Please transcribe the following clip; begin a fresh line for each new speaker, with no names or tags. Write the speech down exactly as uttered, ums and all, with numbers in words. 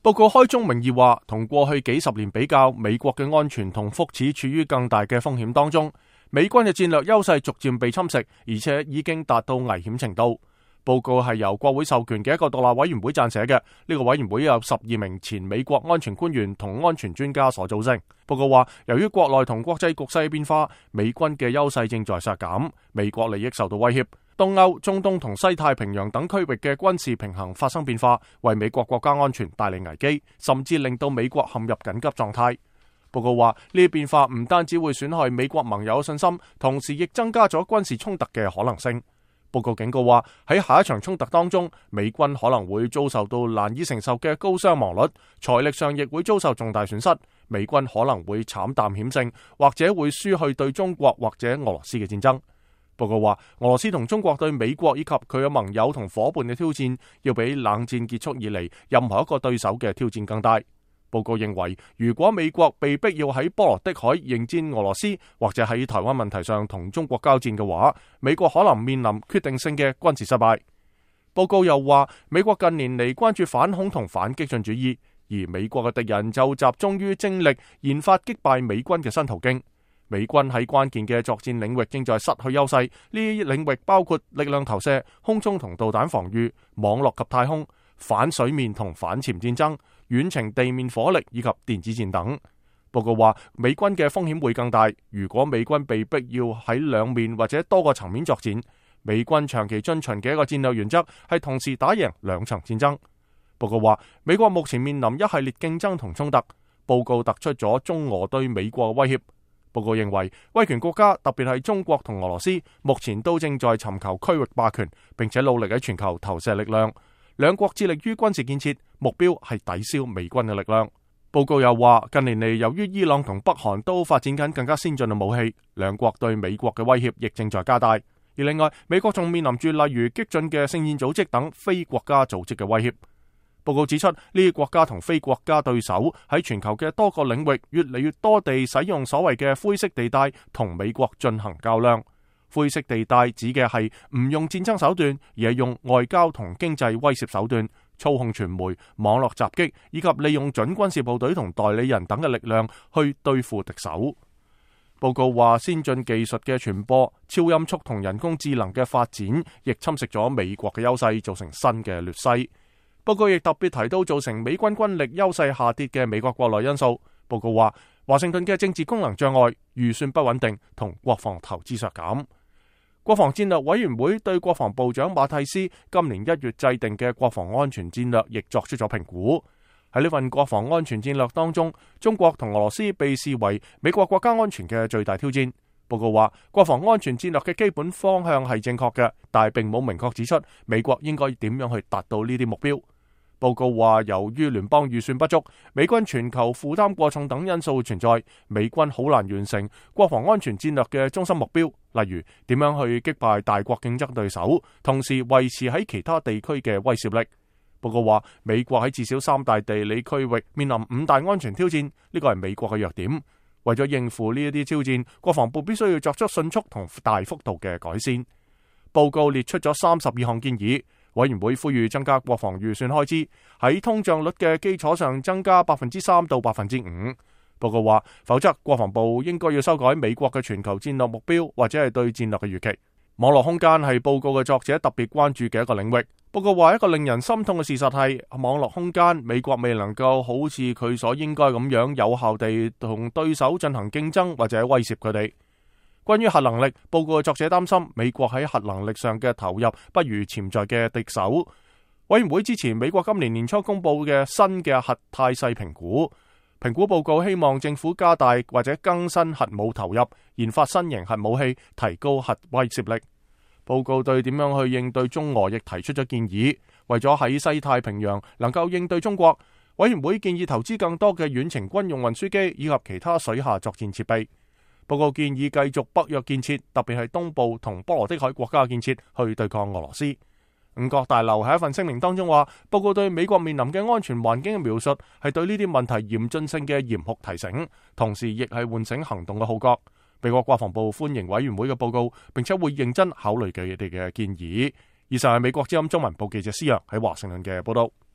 報告開宗明義話，同過去幾十年比較，美國嘅安全同福祉處於更大嘅風險當中。美軍嘅戰略優勢逐漸被侵蝕，而且已經達到危險程度。報告係由國會授權嘅一個獨立委員會撰寫嘅，呢個委員會有十二名前美國安全官員同安全專家所組成。報告話，由於國內同國際局勢變化，美軍嘅優勢正在削減，美國利益受到威脅，東歐、中東同西太平洋等區域嘅軍事平衡發生變化，為美國國家安全帶嚟危機，甚至令到美國陷入緊急狀態。報告話，呢啲變化唔單止會損害美國盟友信心，同時亦增加咗軍事衝突嘅可能性。報告警告話，喺下一場衝突當中，美軍可能會遭受到難以承受嘅高傷亡率，財力上亦會遭受重大損失。美軍可能會慘淡險勝，或者會輸去對中國或者俄羅斯嘅戰爭。報告話，俄羅斯同中國對美國以及佢嘅盟友同伙伴嘅挑戰，要比冷戰結束以嚟任何一個對手嘅挑戰更大。報告認為，如果美國被逼要喺波羅的海迎戰俄羅斯，或者喺台灣問題上同中國交戰嘅話，美國可能面臨決定性嘅軍事失敗。報告又話，美國近年嚟關注反恐同反激進主義，而美國嘅敵人就集中於精力研發擊敗美軍嘅新途徑。美軍喺關鍵嘅作戰領域正在失去優勢，呢啲領域包括力量投射、空中同導彈防禦、網絡及太空、反水面同反潛戰爭、遠程地面火力以及電子戰等。報告話，美軍嘅風險會更大，如果美軍被逼要喺兩面或者多個層面作戰。美軍長期遵循嘅一個戰略原則係同時打贏兩場戰爭。報告話，美國目前面臨一系列競爭同衝突。報告突出咗中俄對美國嘅威脅。報告認為，威權國家特別係中國同俄羅斯，目前都正在尋求區域霸權，並且努力喺全球投射力量。兩國致力於軍事建設，目標係抵消美軍嘅力量。報告又話，近年嚟由於伊朗同北韓都發展緊更加先進嘅武器，兩國對美國嘅威脅亦正在加大。而另外，美國仲面臨住例如激進嘅聖戰組織等非國家組織嘅威脅。報告指出，呢啲國家同非國家對手喺全球嘅多個領域越嚟越多地使用所謂嘅灰色地帶同美國進行較量。灰色地帶指嘅係唔用戰爭手段，而係用外交同經濟威懾手段，操控傳媒、網絡襲擊，以及利用準軍事部隊同代理人等嘅力量去對付敵手。報告話，先進技術嘅傳播、超音速同人工智能嘅發展，亦侵蝕咗美國嘅優勢，造成新嘅劣勢。報告亦特別提到造成美軍軍力優勢下跌嘅美國國內因素。報告話，華盛頓嘅政治功能障礙、預算不穩定同國防投資削減。國防戰略委員會對國防部長馬蒂斯今年一月制定嘅國防安全戰略亦作出咗評估。喺呢份國防安全戰略當中，中國同俄羅斯被視為美國國家安全嘅最大挑戰。報告話，國防安全戰略嘅基本方向係正確嘅，但係並冇明確指出美國應該點樣去達到呢啲目標。報告話，由於聯邦預算不足、美軍全球負擔過重等因素存在，美軍好難完成國防安全戰略嘅中心目標，例如點樣去擊敗大國競爭對手，同時維持喺其他地區嘅威懾力。報告話，美國喺至少三大地理區域面臨五大安全挑戰，呢個係美國嘅弱點。為咗應付呢一啲挑戰，國防部必須要作出迅速同大幅度嘅改善。報告列出咗三十二項建議。委員會呼籲增加國防預算開支，喺通脹率嘅基礎上增加百分之三到百分之五。報告話，否則國防部應該要修改美國嘅全球戰略目標，或者係對戰略嘅預期。網絡空間係報告嘅作者特別關注嘅一個領域。報告話，一個令人心痛嘅事實係，網絡空間美國未能夠好似佢所應該咁樣有效地同對手進行競爭或者威懾佢哋。關於核能力，報告嘅作者擔心美國喺核能力上嘅投入不如潛在嘅敵手。委員會支持美國今年年初公布嘅新嘅核態勢評估。評估報告希望政府加大或者更新核武投入，研發新型核武器，提高核威懾力。報告對點樣去應對中俄亦提出咗建議。為咗喺西太平洋能夠應對中國，委員會建議投資更多嘅遠程軍用運輸機以及其他水下作戰設備。報告建議繼續北約建設，特別係東部同波羅的海國家嘅建設，去對抗俄羅斯。五角大樓喺一份聲明當中話，報告對美國面臨嘅安全環境嘅描述係對呢啲問題嚴峻性嘅嚴酷提醒，同時亦係喚醒行動嘅號角。美國國防部歡迎委員會嘅報告，並且會認真考慮佢哋嘅建議。以上係美國之音中文部記者施洋喺華盛頓嘅報道。